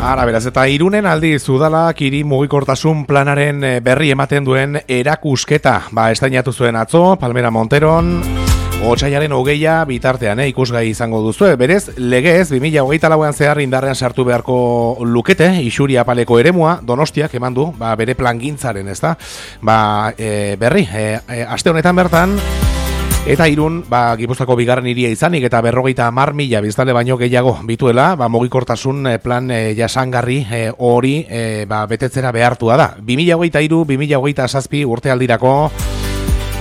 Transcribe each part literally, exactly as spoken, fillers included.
Ara, beraz, eta Irunen aldiz udalak hiri mugikortasun planaren berri ematen duen erakusketa. Ba, estainatu zuen atzo, Palmera Monteron, otsailaren hogeia bitartean, eh, ikusgai izango duzu. Berez, legez, bi mila hogeita lauan zehar indarrean sartu beharko lukete, Isuri apaleko eremua, Donostiak eman du, ba, bere plangintzaren, ez da? Ba, e, berri, e, e, aste honetan bertan, eta Irun, ba, Gipuzkoako bigarren hiria izanik eta berrogeita hamar mila biztanle baino gehiago bituela, ba, mugikortasun plan e, jasangarri e, hori e, ba, betetzera behartua da. bi mila hogeita hiru bi mila hogeita zazpi urtealdirako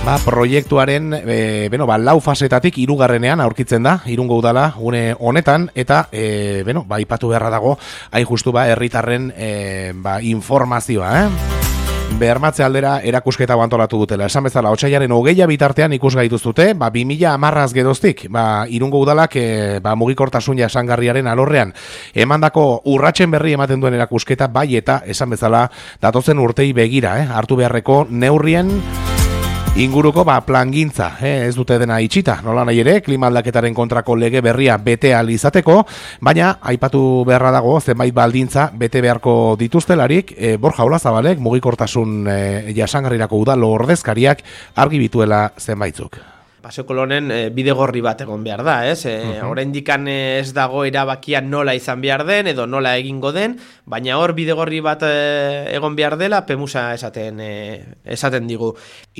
ba, proiektuaren e, beno, ba, lau fasetatik hirugarrenean aurkitzen da, Irungo udala une honetan, eta e, beno, ba, ipatu beharra dago, hain justu ba, herritarren e, ba, informazioa, eh? Bermatze aldera erakusketa antolatu dutela. Esan bezala, otsailaren hogeia bitartean ikusgai dituzte, ba, bi mila hamarraz geroztik, ba, Irungo udalak e, ba, mugikortasun jasangarriaren alorrean emandako urratsen berri ematen duen erakusketa, bai eta esan bezala datozen urtei begira, eh? Hartu beharreko neurrien inguruko ba, plangintza, eh, ez dute dena itxita, nola nahi ere, klima aldaketaren kontrako lege berria bete ahal izateko, baina aipatu beharra dago zenbait baldintza bete beharko dituztelarik, eh, Borja Olazabalek mugikortasun eh, jasangarrirako udalo ordezkariak argi bituela zenbaitzuk. Paseo Kolonen e, bidegorri bat egon behar da, ez? E, uh-huh. Oraindikan ez dago erabakia nola izan behar den edo nola egingo den, baina hor bidegorri bat e, egon behar dela Pemusa esaten e, esaten digu.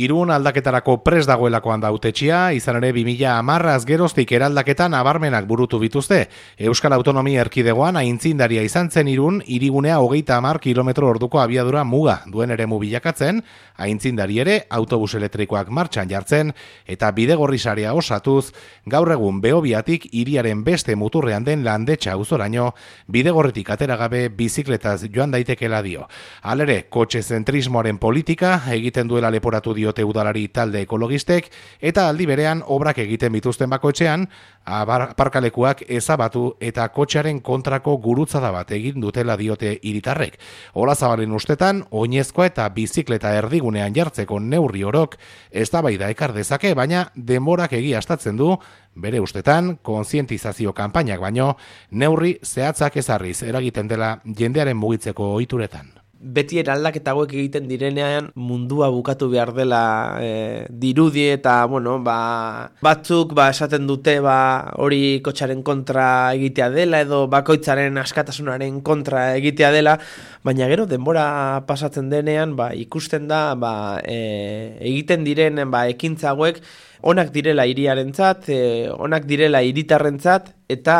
Irun aldaketarako prest dagoelakoan da hautetxea, izan ere bi mila hamarraz geroztik eraldaketan nabarmenak burutu bituzte. Euskal Autonomia Erkidegoan aintzindaria izan zen Irun, hirigunea hogeita hamar kilometro orduko abiadura muga duen eremu bilakatzen, aintzindari ere autobus elektrikoak martxan jartzen, eta bidegorri sarea osatuz, gaur egun Behobiatik hiriaren beste muturrean den Landetxa auzoraino, bidegorritik ateragabe bizikletaz joan daitekela dio. Halere, kotxe zentrismoaren politika egiten duela leporatu diote udalari talde ekologistek, eta aldi berean obrak egiten bituzten bakoetxean, aparkalekuak ezabatu eta kotxearen kontrako gurutzada bat egin dutela diote hiritarrek. Olazabalen ustetan, oinezkoa eta bizikleta erdigunean jartzeko neurri orok eztabaida ekar dezake, baina denborak egiaztatzen du, bere ustetan, kontzientizazio kanpainak baino, neurri zehatzak ezarriz eragiten dela jendearen mugitzeko ohituretan. Beti eraldaketa hauek egiten direnean mundua bukatu behar dela e, dirudi eta bueno, ba, batzuk ba, esaten dute ba, hori kotxaren kontra egitea dela edo bakoitzaren askatasunaren kontra egitea dela, baina gero denbora pasatzen denean ba, ikusten da ba, e, egiten diren ba, ekintza hauek onak direla hiriarentzat, e, onak direla hiritarrentzat eta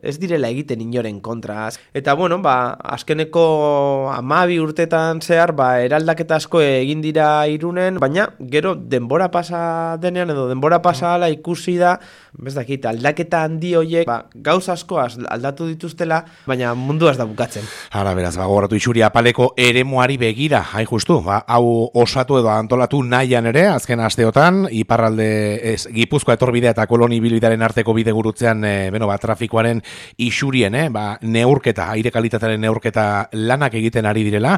ez direla egiten inoren kontra. Eta bueno, ba, azkeneko hamabi urtetan zehar ba, eraldaketa asko egin dira Irunen, baina gero denbora pasa denean edo denbora pasa ala ikusi da, bez dakit, aldaketa handi horiek ba, gauz asko aldatu dituztela, baina mundu ez da bukatzen. Hala beraz, ba, gogoratu Isuri apaleko eremuari begira, hain justu, ba, hau osatu edo antolatu nahian ere, azken asteotan, iparralde ez, Gipuzkoa etorbidea eta koloni bilbidaren arteko bide gurutzean e, beno, ba, trafikoaren isurien, eh, ba, neurketa, aire kalitatearen neurketa lanak egiten ari direla,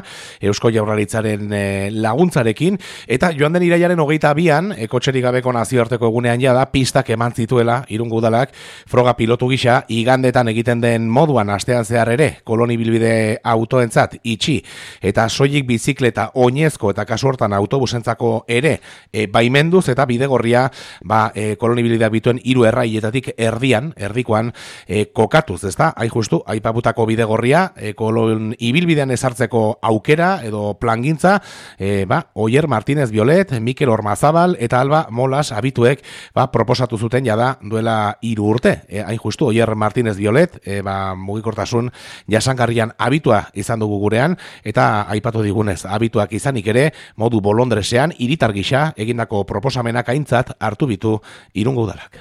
Eusko Jaurlaritzaren e, laguntzarekin, eta joan den iraiaren hogeita bian, e, kotxerik gabeko nazioarteko egunean jada, pistak eman zituela, Irungo udalak, froga pilotu gisa, igandetan egiten den moduan astean zehar ere, koloni bilbide autoentzat itxi, eta soilik bizikleta oinezko eta kasu hortan autobusentzako ere, e, baimenduz eta bidegorria, ba, e, koloni bilbidea bituen hiru erraietatik erdian, erdikoan, e, kokatuz, ezta? Hain justu, aipaputako bidegorria, e, kolon ibilbidean ezartzeko aukera edo plangintza, e, ba, Oier Martínez Violet, Mikel Ormazabal eta Alba Molas abituek, ba, proposatu zuten jada duela hiru urte. E, hain justu, Oier Martínez Violet, e, ba, mugikortasun jasangarrian abitua izan dugu gurean, eta aipatu digunez, abituak izanik ere, modu bolondresean, hiritar gisa egindako proposamenak aintzat hartu bitu Irungo udalak.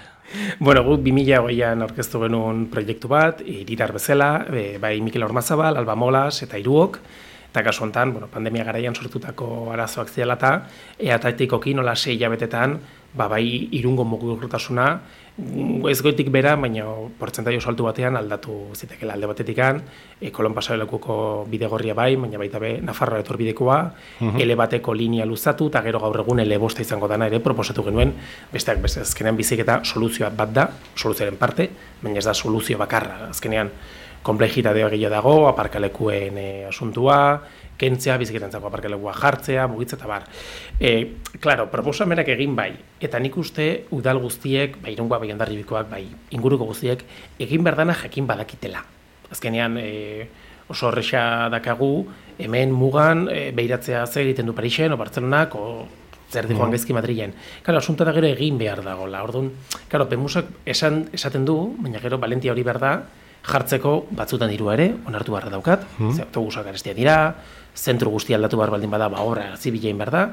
Bueno, guk bi mila hogeian aurkeztu genuen proiektu bat, hiritar bezala, e, bai Mikel Ormazabal, Alba Molas eta Iruok, eta kasu honetan, bueno, pandemia garaian sortutako arazoak ziela eta eatatikoki nola sei hilabetetan, ba, bai Irungo mugikortasuna, ez goitik bera, baina portzentai oso altu batean aldatu zitekela alde batetikan, e, Kolon pasarelekuko bidegorria bai, baina baita be Nafarroa etorbidekoa, uh-huh. ele bateko linea luzatu, eta gero gaur egun ele bosta izango dana ere proposatu genuen, besteak beste azkenean biziketa soluzioa bat da, soluzioaren parte, baina ez da soluzio bakarra, azkenean komplejitatea gehiago dago, aparkalekuen e, asuntua, kentzea, biziketantzako aparkalekua jartzea, mugitza eta bar. E, claro, proposamenak egin bai, eta nik uste udal guztiek, bai Irungoa, bai Hondarribikoak, bai inguruko guztiek, egin berdana jakin badakitela. Azkenean, e, oso horreza dakagu, hemen mugan e, behiratzea zer egiten du Parisen, o Bartzelonak, o zer di joan gaizki Madrilen. Claro, asunta da gero egin behar dagoela. Orduan, claro, Pemusak esan, esaten du, baina gero valentia hori behar da, jartzeko batzutan dirua ere, onartu beharra daukat, mm. ze autobusak garestia dira, zentru guztia aldatu behar baldin bada, ba horra zibilein behar da,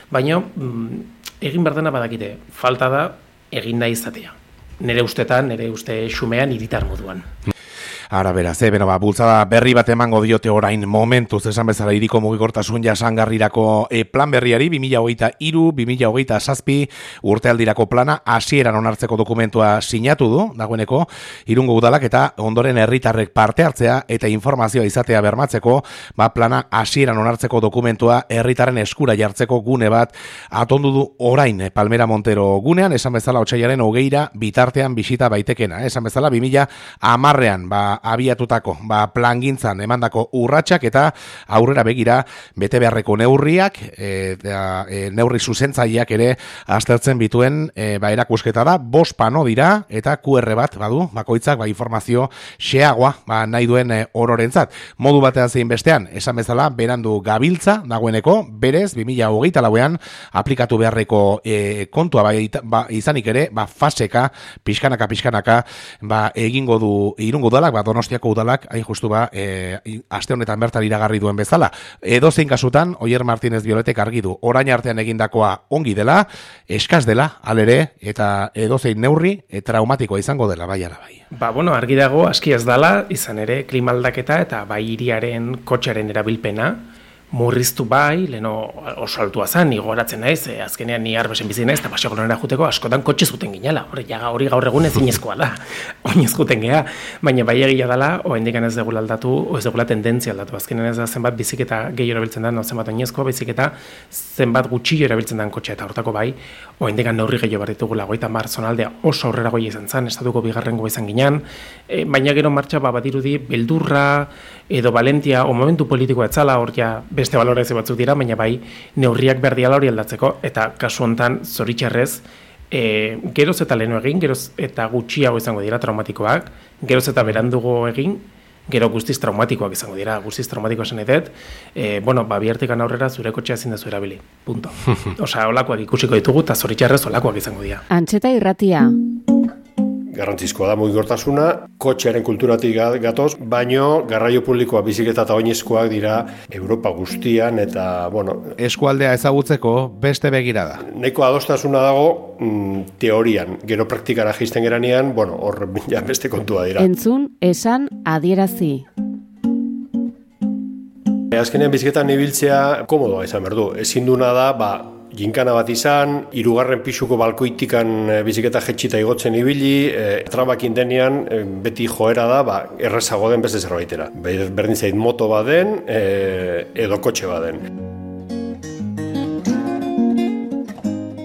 baina mm, egin behar dena badakite, falta da egin nahi izatea. Nere ustetan, nere uste xumean, hiritar moduan. Ara beraz, eh, beno, ba, bultzada berri bat emango diote orain momentuz, esan bezala hiriko mugikortasun jasangarrirako e, plan berriari, bi mila hogeita hiru bi mila hogeita zazpi urtealdirako plana hasieran onartzeko dokumentua sinatu du, dagoeneko, Irungo udalak eta ondoren herritarrek parte hartzea eta informazioa izatea bermatzeko, ba, plana hasieran onartzeko dokumentua herritarren eskura jartzeko gune bat atondu du orain Palmera Montero gunean, esan bezala otsailaren hogeira bitartean bisita baitekena, esan bezala bi mila hamarrean, ba, abiatutako, ba, plangintzan emandako urratsak eta aurrera begira bete beharreko neurriak, e, da, e, neurri zuzentzaileak ere aztertzen bituen e, ba, erakusketa da, bost pano dira eta Q R bat badu, bakoitzak ba, informazio xeagoa ba, nahi duen e, ororentzat. Modu batean zein bestean, esan bezala, berandu gabiltza dagoeneko, berez, bi mila hogeita lauean aplikatu beharreko e, kontua ba, ba, izanik ere, ba, faseka, pixkanaka, pixkanaka, ba, egingo du Irungo udalak, ba, Donostiako udalak, hain justu ba, e, aste honetan bertan iragarri duen bezala. Edo zein kasutan, Oier Martínez Bioletek argi du, orain artean egindakoa ongi dela, eskaz dela, alere, eta edo zein neurri, e, traumatikoa izango dela, bai ala bai. Ba, bueno, argi dago, aski ez dala, izan ere, klimaldaketa eta bai hiriaren kotxearen erabilpena, murriztu bai, leno oso altua zen, ni goratzen naiz, e, azkenean ni arbesen bizi naiz, eta paseo kolonera juteko askotan kotxe zuten ginela, hori, hori gaur egun ezinezkoa da, oinez juten geha, baina bai egia dela, oendikan ez degula aldatu, o ez degula tendentzia aldatu, azkenean ez da zenbat biziketa gehi erabiltzen da, no zenbat oinezkoa, biziketa zenbat gutxillo erabiltzen den kotxe, eta hortako bai, oendikan neurri gehiago behar ditugula, goita mar zonaldea oso aurrera goia izan zen, estatuko bigarrengo izan ginen, e, baina gero martxa ba, badirudi beldurra, edo valentia, o momentu politikoa etzala, hor ja beste balorazio batzuk dira, baina bai neurriak behar diala hori aldatzeko, eta kasu honetan zoritxarrez, e, geroz eta lehenu egin, geroz eta gutxiago izango dira traumatikoak, geroz eta berandugo egin, gero guztiz traumatikoak izango dira, guztiz traumatikoa esan edet, e, bueno, ba, bihartikan aurrera zure kotxea ezin dezu erabili, punto. Osa, olakoak ikusiko ditugu, eta zoritxarrez olakoak izango dira. Antxeta Irratia. Garrantzizkoa da mugikortasuna, kotxearen kulturatik gatoz, baino garraio publikoa biziketa eta oinezkoak dira Europa guztian eta, bueno... Eskualdea ezagutzeko beste begirada. Nahiko adostasuna dago mm, teorian, gero praktikara jaisten geranean, bueno, hor ja beste kontua dira. Entzun, esan, adierazi. Azkenean biziketan ibiltzea komodoa izan behar du. Ezin duna da, ba, ginkana bat izan, hirugarren pisuko balkoitikan biziketa jetxita igotzen ibili, e, trabakin denean e, beti joera da, ba, errezago den beste zerbaitera. Berdin zait moto baden, e, edo kotxe baden.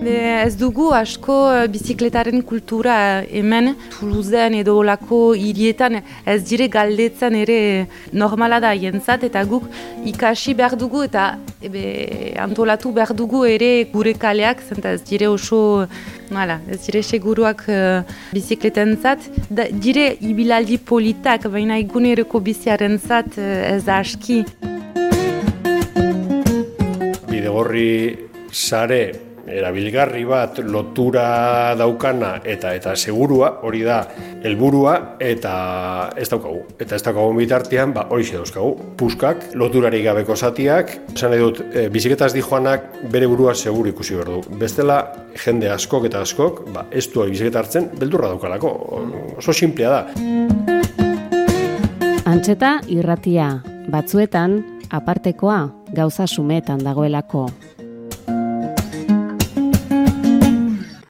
Ez dugu asko bizikletaren kultura hemen, Toulousen edo olako hirietan ez dire galdetzen ere normala da jentzat, eta guk ikasi behar dugu eta ebe, antolatu behar dugu ere gure kaleak, zenta ez dire oso, nala, ez dire seguruak uh, bizikletentzat, da, dire ibilaldi politak, baina eguneroko biziaren zat uh, ez da aski. Bidegorri sare erabilgarri bat lotura daukana eta eta segurua hori da helburua eta ez daukagu. Eta ez daukagu bitartean, ba hori xe dauzkagu. Puskak, loturarik gabeko zatiak, esan nahi dut, e, biziketaz dijoanak bere burua seguru ikusi behar du. Bestela, jende askok eta askok, ba, ez du biziketa hartzen, beldurra daukalako. Oso sinplea da. Antxeta Irratia, batzuetan apartekoa gauza sumetan dagoelako.